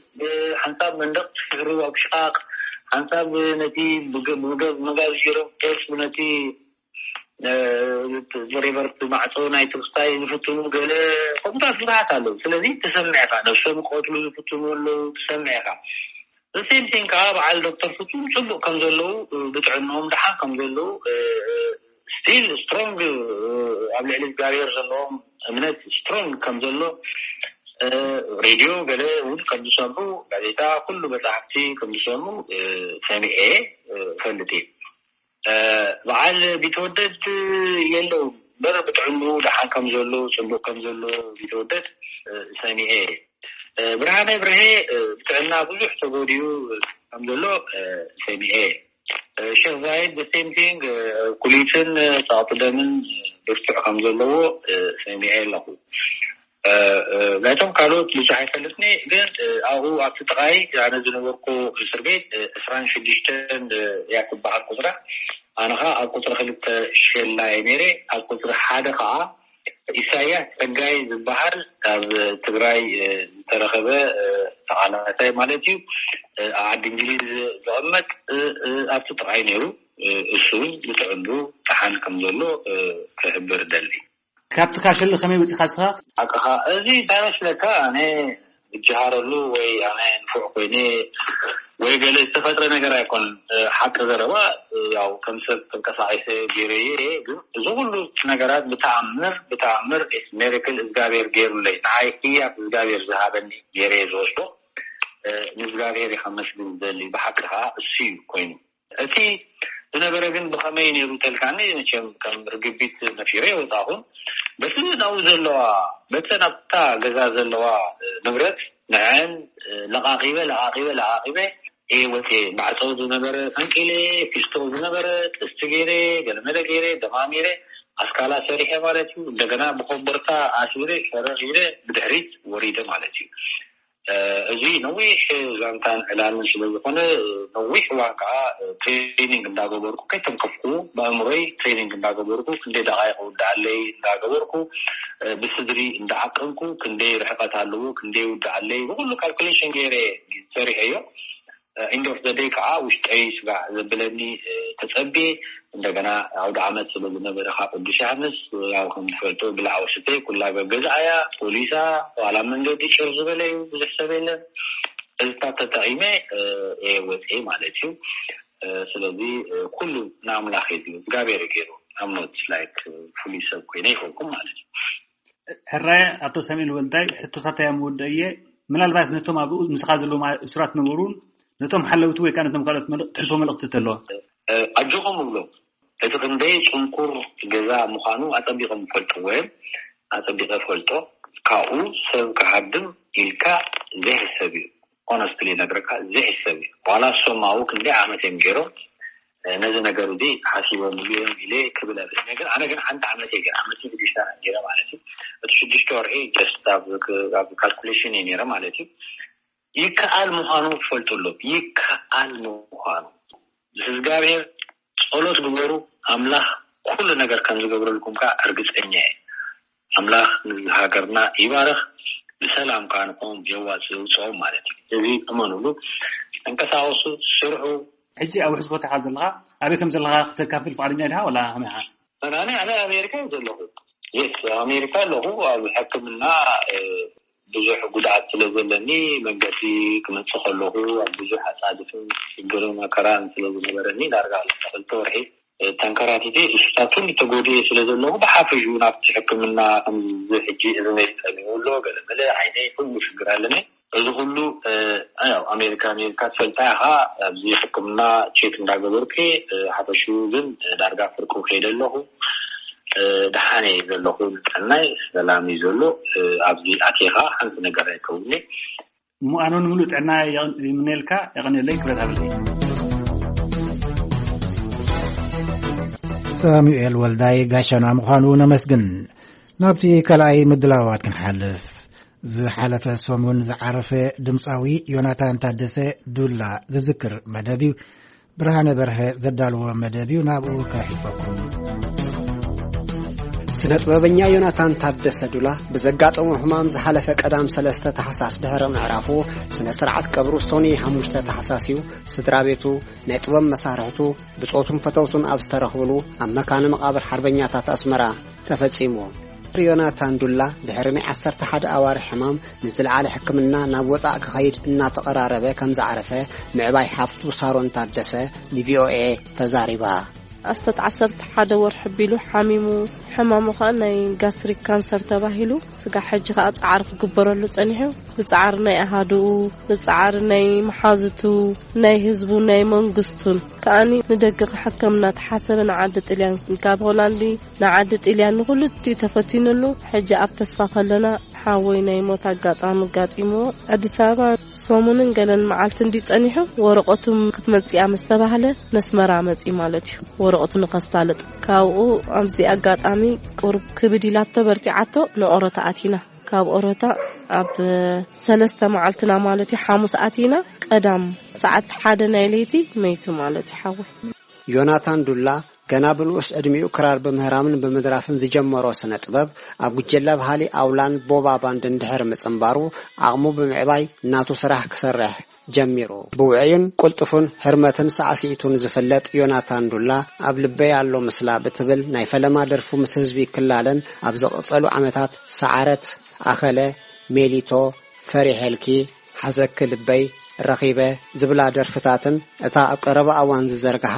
ሓንሳብ መንደቕ ክስሕሩ ኣብ ሽቓቕ ሓንሳብ ነቲ ብመጋዝ ገይሮም ገጽ ነቲ ወሬቨር ማዕፆ ናይ ትርስታይ ዝፍትኑ ገለ ከምታት ብዙሓት ኣለዉ። ስለዚ ትሰምዕ ኢኻ ነብሶም ክቐትሉ ዝፍትኑ ኣለዉ ትሰምዕ ኢኻ። The same thing ከዓ በዓል ዶክተር ፍጹም ጽቡቕ ከም ዘለዉ፣ ብጥዕንኦም ደሓን ከም ዘለዉ፣ still strong፣ ኣብ ልዕሊ እግዚኣብሔር ዘለዎም እምነት strong ከም ዘሎ፣ ሬድዮ ገለ እውን ከም ዝሰምዑ፣ ጋዜጣ፣ ኩሉ መጻሕፍቲ ከም ዝሰምዑ ሰሚዐ እፈልጥ እየ። በዓል ቢተወደድ የለውም እምበር ብጥዕንኡ ደሓን ከም ዘሎ፣ ጽቡቕ ከም ዘሎ ቢተወደድ ሰሚዐ እየ። ብርሃነ ብርሄ ብጥዕና ብዙሕ ተጎዲኡ ከም ዘሎ ሰሚዐ እየ። ሸክ ዛይድ the same thing፣ ኩሊትን ጸቕጢ ደምን ብርቱዕ ከም ዘለዎ ሰሚዐ ኣለኹ። ናይቶም ካልኦት ብዙሕ ኣይፈልጥኒ፣ ግን ኣብኡ ኣብቲ ጥቓይ ኣነ ዝነበርኩ እስር ቤት ዕስራን ሽዱሽተን እያ ትበሃል ቁፅራ። ኣነ ኸዓ ኣብ ቁፅሪ ክልተ ሸላ እየ ነይረ። ኣብ ቁፅሪ ሓደ ኸዓ ኢሳያስ ጸጋይ ዝበሃል ኣብ ትግራይ ዝተረኸበ ተቓላሳይ ማለት እዩ፣ ኣብ ዓዲ እንግሊዝ ዝቕመጥ ኣብቲ ጥቓይ ነይሩ። እሱ እውን ብጥዕንኡ ደሓን ከም ዘሎ ክሕብር እደሊ። ካብቲ ካሸሊ ከመይ ወጺኻ ንስኻ? ሓቅኻ፣ እዚ እንታይ መስለካ፣ ኣነ ዝጀሃረሉ ወይ ኣነ ንፉዕ ኮይነ ወይ ገለ ዝተፈጥረ ነገር ኣይኮነን። ሓቂ ዘረባ፣ ያው ከም ሰብ ተንቀሳቒሰ ገይረዮ እየ። ግን እዚ ኩሉ ነገራት ብተኣምር፣ ብተኣምር it's miracle እግዚኣብሔር ገይሩለይ። ንዓይ ህያብ እግዚኣብሔር ዝሃበኒ ገይረየ ዝወስዶ። ንእግዚኣብሔር የኸመስግን ዝደሊ፣ ብሓቂ ከዓ እሱ እዩ ኮይኑ። እቲ ዝነበረ ግን ብኸመይ ነይሩ ተልካኒ፣ መቸም ከም ርግቢት ነፊረ የወጣኹን። በቲ ናብኡ ዘለዋ፣ በተን ኣብታ ገዛ ዘለዋ ንብረት ንዐን ለቓቒበ፣ ለቓቒበ፣ ለቓቒበ እየ ወፅየ። ማዕፀው ዝነበረ ፈንቂለ፣ ፊስቶ ዝነበረ ጥስቲ ገይረ፣ ገለመለ ገይረ፣ ደማሚረ፣ ኣስካላ ሰሪሐ ማለት እዩ። እንደገና ብኮቦርታ ኣሲረ፣ ሸረር ኢለ ብድሕሪት ወሪደ ማለት እዩ። እዚ ነዊሕ ዛንታን ዕላልን ስለ ዝኾነ፣ ነዊሕ እዋን ከዓ ትሬኒንግ እንዳገበርኩ፣ ከይተንከፍኩ ብኣእምሮይ ትሬኒንግ እንዳገበርኩ፣ ክንደይ ደቃይቅ ውድኣለይ እንዳገበርኩ፣ ብስድሪ እንዳዓቀንኩ፣ ክንደይ ርሕቀት ኣለዎ፣ ክንደይ ውድኣለይ፣ ብኩሉ ካልኩሌሽን ገይረ ሰሪሐዮ። ኢንድ ኦፍ ዘ ደይ ከዓ ውሽጠይ ስጋዕ ዘብለኒ ተጸብየ። እንደገና ኣውደ ዓመት ስለ ዝነበረ ካብ ቅዱስ ዮሃንስ፣ ያው ከም ትፈልጦ ብልዓ ወስተ ኩላ ገገዝኣያ፣ ፖሊሳ፣ ዋላ መንገዲ ጭር ዝበለ እዩ፣ ብዙሕ ሰብ የለን። እዚታት ተጠቒመ እየ ወፅየ ማለት እዩ። ስለዚ ኩሉ ንኣምላኽ እዩ፣ እግዚኣብሔር ገይሩ። I'm not like ፍሉይ ሰብ ኮይነ ኣይኮንኩም ማለት እዩ። ሕራይ ኣቶ ሳሙኤል ወልዳይ፣ ሕቶታት እያ ምወድኦ እየ። ምናልባት ነቶም ኣብኡ ምሳኻ ዘለዉ እሱራት ነበሩን ነቶም ሓለውቲ ወይ ከዓ ነቶም ካልኦት መልእ-፣ ትሕልፎ መልእኽቲ ተለዎ? ኣጆኹም እብሎም። እቲ ክንደይ ጽንኩር ገዛ ምዃኑ ኣጸቢቖም ይፈልጥዎ እዮም። ኣጸቢቐ እፈልጦ። ካብኡ ሰብ ክሃድም ኢልካ ዘይሕሰብ እዩ። ኦነስትሊ ነግረካ ዘይሕሰብ እዩ። ዋላ እሶም ኣብኡ ክንደይ ዓመት እዮም ገይሮም ነዚ ነገር እዚ ሓሲቦምሉ እዮም ኢለ ክብል እኽእል። ግን ኣነ ግን ሓንቲ ዓመት እየ ገይረ፣ ዓመትን ሽዱሽተ ወርሒ ገይረ ማለት እዩ። እቲ ሽዱሽተ ወርሒ ጀስት ኣብ፣ ኣብ ካልኩሌሽን እየ ነይረ ማለት እዩ። ይከኣል ምዃኑ ክፈልጡ ኣለዎም። ይከኣል ምዃኑ። እግዚኣብሔር ጸሎት ግበሩ፣ ኣምላኽ ኩሉ ነገር ከም ዝገብረልኩም ከኣ እርግጸኛ እየ። ኣምላኽ ንሃገርና ይባርኽ፣ ብሰላም ከኣ ንዕኦም የዋጽእ፣ የውጽኦም ማለት እዩ። እዚ እመኑሉ፣ ተንቀሳቐሱ፣ ስርሑ። ሕጂ ኣብ ውሕዝ ቦታ ኢኻ ዘለኻ፣ ኣበይ ከም ዘለኻ ክተካፍል ፍቓደኛ ዲኻ ወላ ከመይ ኢኻ? ኣነ፣ ኣነ ኣሜሪካ እየ ዘለኹ። የስ፣ ኣሜሪካ ኣለኹ። ኣብ ሕክምና፣ እ፣ ብዙሕ ጉድኣት ስለ ዘለኒ፣ መንገዲ ክመጽእ ከለኹ ኣብ ብዙሕ ኣጻድፍን ሽግርን መከራን ስለ ዝነበረኒ፣ ዳርጋ ክልተ ወርሒ ተንከራቲተ፣ እሱታት ኩሉ ተጎዲኤ ስለ ዘለኹ፣ ብሓፈሽኡ ናብቲ ሕክምና ከምዚ ሕጂ እዝነይ ጸሚሙ ኣሎ፣ ገለ መለ ዓይነይ ኩሉ ሽግር ኣለኒ። እዚ ኩሉ፣ እ፣ ያው ኣሜሪካ፣ ኣሜሪካ ትፈልጣ ኢኻ፣ ኣብዚ ሕክምና ቼክ እንዳገበርኩ፣ እ፣ ሓፈሽኡ ግን ዳርጋ ፍርቁ ከይደ ኣለኹ። እ፣ ደሓን እየ ዘለኹ፣ ንጥዕናይ ሰላም እዩ ዘሎ። እ፣ ኣብዚ ኣትየ ኸኣ ሓንቲ ነገር ኣይከውንኒ። እሞ ኣነ እውን ምሉእ ጥዕና የቕ-፣ ይምነየልካ፣ የቐንየለይ፣ ክብረት ሃበለይ። ሳሙኤል ወልዳይ ጋሻና ምዃኑ ነመስግን። ናብቲ ካልኣይ ምድላዋት ክንሓልፍ። ዝሓለፈ ሰሙን ዝዓረፈ ድምፃዊ ዮናታን ታደሰ ዱላ ዝዝክር መደብ እዩ። ብርሃነ በርሀ ዘዳለዎ መደብ እዩ፣ ናብኡ ከሕልፈኩም። ስነ ጥበበኛ ዮናታን ታደሰ ዱላ ብዘጋጠሞ ሕማም ዝሓለፈ ቀዳም ሰለስተ ታሕሳስ ድሕሪ ምዕራፉ፣ ስነ ስርዓት ቀብሩ ሶኒ ሓሙሽተ ታሕሳስ እዩ። ስድራ ቤቱ፣ ናይ ጥበብ መሳርሕቱ፣ ብጾቱን ፈተውቱን ኣብ ዝተረኽብሉ ኣብ መካነ መቓብር ሓርበኛታት ኣስመራ ተፈጺሙ። ዮናታን ዱላ ድሕሪ ናይ ዓሰርተ ሓደ ኣዋርሕ ሕማም ንዝለዓለ ሕክምና ናብ ወጻእ ክኸይድ እናተቐራረበ ከም ዝዓረፈ ምዕባይ ሓፍቱ ሳሮን ታደሰ ንቪኦኤ ተዛሪባ። ኣስተት ዓሰርተ ሓደ ወርሒ ቢሉ ሓሚሙ። ሕማሙ ኸኣ ናይ ጋስትሪክ ካንሰር ተባሂሉ፣ ስጋዕ ሕጂ ኸኣ ጻዕሪ ክግበረሉ ጸኒሑ። ብጻዕሪ ናይ ኣሃዱኡ፣ ብጻዕሪ ናይ መሓዙቱ፣ ናይ ህዝቡ፣ ናይ መንግስቱን ከኣኒ ንደገ ክሕከም እናተሓሰበ ንዓዲ ጥልያን፣ ካብ ሆላንዲ ንዓዲ ጥልያን ንኹሉ እትዩ ተፈቲኑሉ። ሕጂ ኣብ ተስፋ ከለና ሓወይ ናይ ሞት ኣጋጣሚ ኣጋጢምዎ። ኣዲስ ኣበባ ሰሙንን ገለን መዓልቲ እንዲ ጸኒሑ፣ ወረቐቱ ክትመጽእ ምስ ተባህለ ነስመራ መጺ ማለት እዩ፣ ወረቐቱ ንኸሳልጥ። ካብኡ ኣብዚ ኣጋጣሚ ቁሩብ ክብድ ኢላቶ በርቲዓቶ ንኦሮታ ኣቲና። ካብ ኦሮታ ኣብ ሰለስተ መዓልትና ማለት እዩ፣ ሓሙስ ኣቲና፣ ቀዳም ሰዓት ሓደ ናይ ለይቲ መይቱ ማለት እዩ ሓወይ። ዮናታን ዱላ ገና ብንኡስ ዕድሚኡ ክራር ብምህራምን ብምድራፍን ዝጀመሮ ስነ ጥበብ፣ ኣብ ጉጀለ ባህሊ ኣውላን ቦባ ባንድን ድሕሪ ምጽንባሩ፣ ዓቕሙ ብምዕባይ ናቱ ስራሕ ክሰርሕ ጀሚሩ። ብውዑይን ቅልጡፉን ህርመትን ሳዕስዒቱን ዝፍለጥ ዮናታን ዱላ፣ ኣብ ልበይ ኣሎ ምስላ ብትብል ናይ ፈለማ ደርፉ ምስ ህዝቢ ክላለን ኣብ ዝቕጸሉ ዓመታት ሰዓረት፣ ኣኸለ፣ ሜሊቶ፣ ፈሪሐልኪ፣ ሓዘኪ ልበይ፣ ረኺበ ዝብላ ደርፍታትን እታ ኣብ ቀረባ እዋን ዝዘርግሓ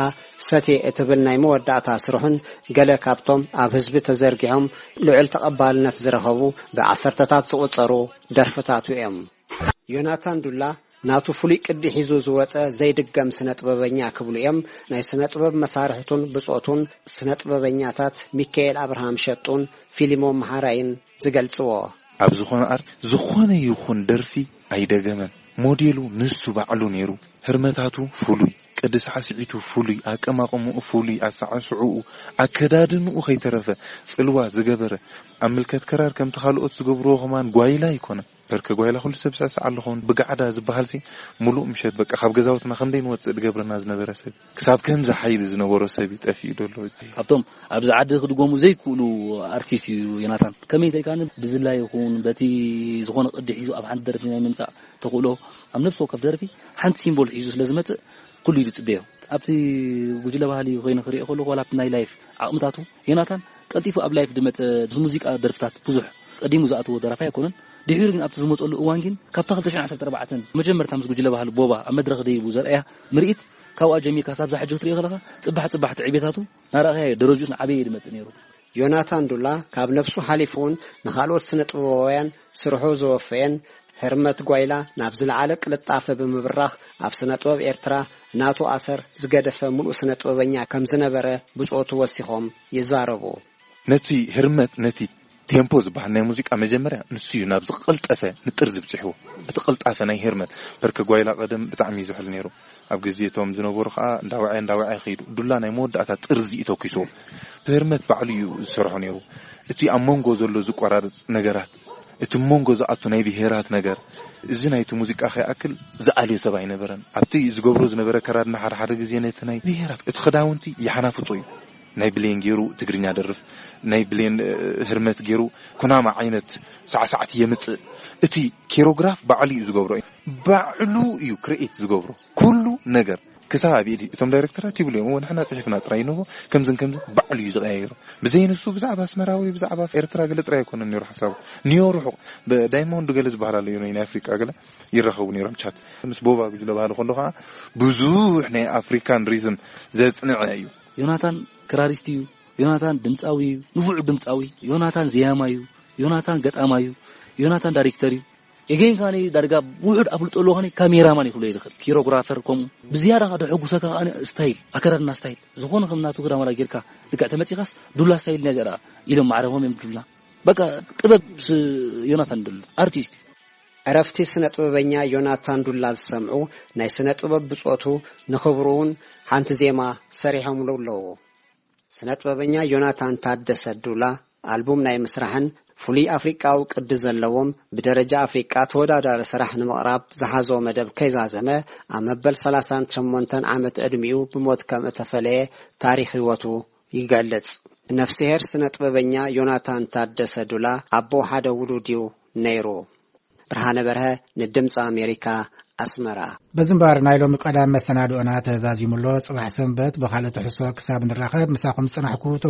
ሰትየ እትብል ናይ መወዳእታ ስርሑን ገለ ካብቶም ኣብ ህዝቢ ተዘርጊሖም ልዑል ተቐባልነት ዝረኸቡ ብዓሰርተታት ዝቑጸሩ ደርፍታቱ እዮም። ዮናታን ዱላ ናቱ ፍሉይ ቅዲ ሒዙ ዝወጸ ዘይድገም ስነ ጥበበኛ ክብሉ እዮም ናይ ስነ ጥበብ መሳርሕቱን ብጾቱን ስነ ጥበበኛታት ሚካኤል ኣብርሃም ሸጡን ፊሊሞን መሓራይን ዝገልጽዎ። ኣብ ዝኾነ ኣር-፣ ዝኾነ ይኹን ደርፊ ኣይደገመን። ሞዴሉ ንሱ ባዕሉ ነይሩ። ህርመታቱ ፍሉይ፣ ቅዲ ሳዕስዒቱ ፍሉይ፣ ኣቀማቕምኡ ፍሉይ፣ ኣሳዕስዕኡ፣ ኣከዳድንኡ ከይተረፈ ጽልዋ ዝገበረ፣ ኣብ ምልከት ክራር ከምቲ ካልኦት ዝገብርዎ ከማን ጓይላ ኣይኮነን። በርከ ጓይላ ኩሉ ሰብ ዝስዕስዓሉ ኸውን። ብጋዕዳ ዝበሃልሲ፣ ምሉእ ምሸት በቃ ካብ ገዛውትና ከምደይ ንወጽእ ዝገብረና ዝነበረ ሰብ። ክሳብ ከምዚ ሓይሊ ዝነበሮ ሰብ እዩ ጠፊኡ ዘሎ። ካብቶም ኣብዚ ዓዲ ክድገሙ ዘይክእሉ ኣርቲስት እዩ ዮናታን። ከመይ እንተኢልካኒ፣ ብዝላ ይኹን በቲ ዝኾነ ቅዲ ሒዙ ኣብ ሓንቲ ደርፊ ናይ ምምጻእ ተኽእሎ፣ ኣብ ነፍሲ ወከፍ ደርፊ ሓንቲ ሲምቦል ሒዙ ስለ ዝመጽእ፣ ኩሉ እዩ ዝጽበዮ። ኣብቲ ጉጅለ ባህሊ ኮይነ ክሪኦ ከለኹ፣ ዋላ ኣብቲ ናይ ላይፍ ዓቕምታቱ፣ ዮናታን ቀልጢፉ ኣብ ላይፍ ዝመጸ፣ ምስ ሙዚቃ ደርፍታት ብዙሕ ቀዲሙ ዝኣተዎ ደራፋይ ኣይኮነን። ድሒሩ ግን ኣብቲ ዝመጸሉ እዋን ግን፣ ካብታ ክልተ ሽሕን ዓሰርተ ኣርባዕተን መጀመርታ ምስ ጉጅለ ባህሊ ቦባ ኣብ መድረኽ ደይቡ ዘርኣያ ምርኢት፣ ካብኣ ጀሚርካ ክሳብ ዛ ሕጂ ክትሪኦ ከለኻ፣ ጽባሕ ጽባሕ ትዕቤታቱ ናራእኻዮ ደረጅኡስ ንዓበየ እዩ ዝመጽእ ነይሩ። ዮናታን ዱላ ካብ ነብሱ ሓሊፉ እውን ንኻልኦት ስነ ጥበባውያን ስርሑ ዘወፈየን፣ ህርመት ጓይላ ናብ ዝለዓለ ቅልጣፈ ብምብራኽ፣ ኣብ ስነ ጥበብ ኤርትራ ናቱ ኣሰር ዝገደፈ ምሉእ ስነ ጥበበኛ ከም ዝነበረ ብጾቱ ወሲኾም ይዛረቡ። ነቲ ህርመት፣ ነቲ ቴምፖ ዝበሃል ናይ ሙዚቃ መጀመርያ ንሱ እዩ ናብ ዝቐልጠፈ ንጥር ዝብጽሕዎ። እቲ ቅልጣፈ ናይ ህርመት፣ በርከ ጓይላ ቀደም ብጣዕሚ እዩ ዝሕል ነይሩ። ኣብ ግዜ እቶም ዝነበሩ ከኣ እንዳወዐ እንዳወዐ ከይዱ። ዱላ ናይ መወዳእታ ጥርዚ እዩ ተኪስዎ። ህርመት ባዕሉ እዩ ዝሰርሖ ነይሩ። እቲ ኣብ መንጎ ዘሎ ዝቆራርጽ ነገራት፣ እቲ መንጎ ዝኣቱ ናይ ብሄራት ነገር፣ እዚ ናይቲ ሙዚቃ ከይኣክል ዝኣልዮ ሰብ ኣይነበረን። ኣብቲ ዝገብሮ ዝነበረ ከራድና ሓደ ሓደ ግዜ ነቲ ናይ ብሄራት፣ እቲ ክዳውንቲ ይሓናፍጾ እዩ። ናይ ብሌን ገይሩ ትግርኛ ደርፍ፣ ናይ ብሌን፣ እ፣ ህርመት ገይሩ ኩናማ ዓይነት ሳዕሳዕቲ የምጽእ። እቲ ኬሮግራፍ ባዕሉ እዩ ዝገብሮ። ባዕሉ እዩ ክርኤት ዝገብሮ። ኩሉ ነገር ክሳብ ኣብ ኢድ እቶም ዳይሬክተራት ይብሉ እዮም፣ "እሞ ንሕና ጽሒፍና ጥራይ ንቦ ከምዝን ከምዝን" ባዕሉ እዩ ዝቐያየሩ። ብዘይ ንሱ ብዛዕባ ኣስመራ ወይ ብዛዕባ ኤርትራ ገለ ጥራይ ኣይኮነን ነይሩ ሓሳቡ። ኒዮ ርሑቕ፣ ብዳይሞንድ ገለ ዝበሃል ኣሎ፣ ናይ ኣፍሪቃ ገለ ይራኸቡ ነይሮም ቻት። ምስ ቦባ ጉጅለ ባህሊ ከሎ ከኣ ብዙሕ ናይ ኣፍሪካን ሪዝም ዘጽንዐ እዩ። ዮናታን ክራሪስት እዩ። ዮናታን ድምጻዊ እዩ። ንፉዕ ድምጻዊ። ዮናታን ዘያማይ እዩ። ዮናታን ገጣማይ እዩ። ዮናታን ዳይሬክተር እዩ። ኤጌን ከኣኒ ዳርጋ ውሑድ ኣፍልጦ ኣለዎ ከኣኒ ካሜራማን እዩ ክብሎ እየ ዝኽእል። ኪሮግራፈር ከምኡ። ብዝያዳ ከኣ ደሐጉሰካ ከኣኒ ስታይል፣ ኣከዳድና ስታይል። ዝኾነ ከም ናቱ ክዳን ዋላ ጌርካ ልክዕ ተመጺኻስ ዱላ ስታይል ናይ ዘርኣ ኢሎም ማዕረፎም እዮም ዱላ። በቃ ጥበብ ስ-፣ ዮናታን ዱላ ኣርቲስት እዩ። ዕረፍቲ ስነ ጥበበኛ ዮናታን ዱላ ዝሰምዑ ናይ ስነ ጥበብ ብጾቱ ንኽብሩ እውን ሓንቲ ዜማ ሰሪሖምሉ ኣለዉ። ስነ ጥበበኛ ዮናታን ታደሰ ዱላ ኣልቡም ናይ ምስራሕን ፍሉይ ኣፍሪቃዊ ቅዲ ዘለዎም ብደረጃ ኣፍሪቃ ተወዳዳሪ ስራሕ ንምቕራብ ዝሓዞ መደብ ከይዛዘመ ኣብ መበል ሰላሳን ሸሞንተን ዓመት ዕድሚኡ ብሞት ከም እተፈለየ ታሪኽ ህይወቱ ይገልጽ። ነፍስሄር ስነ ጥበበኛ ዮናታን ታደሰ ዱላ ኣቦ ሓደ ውሉድ እዩ ነይሩ። ብርሃነ በርሀ ንድምፂ ኣሜሪካ ኣስመራ። በዚ እምበኣር ናይ ሎሚ ቀዳም መሰናድኦና ተዛዚሙ ኣሎ። ጽባሕ ሰንበት ብኻልእ ትሕዝቶ ክሳብ ንራኸብ ምሳኹም ዝጸናሕኩ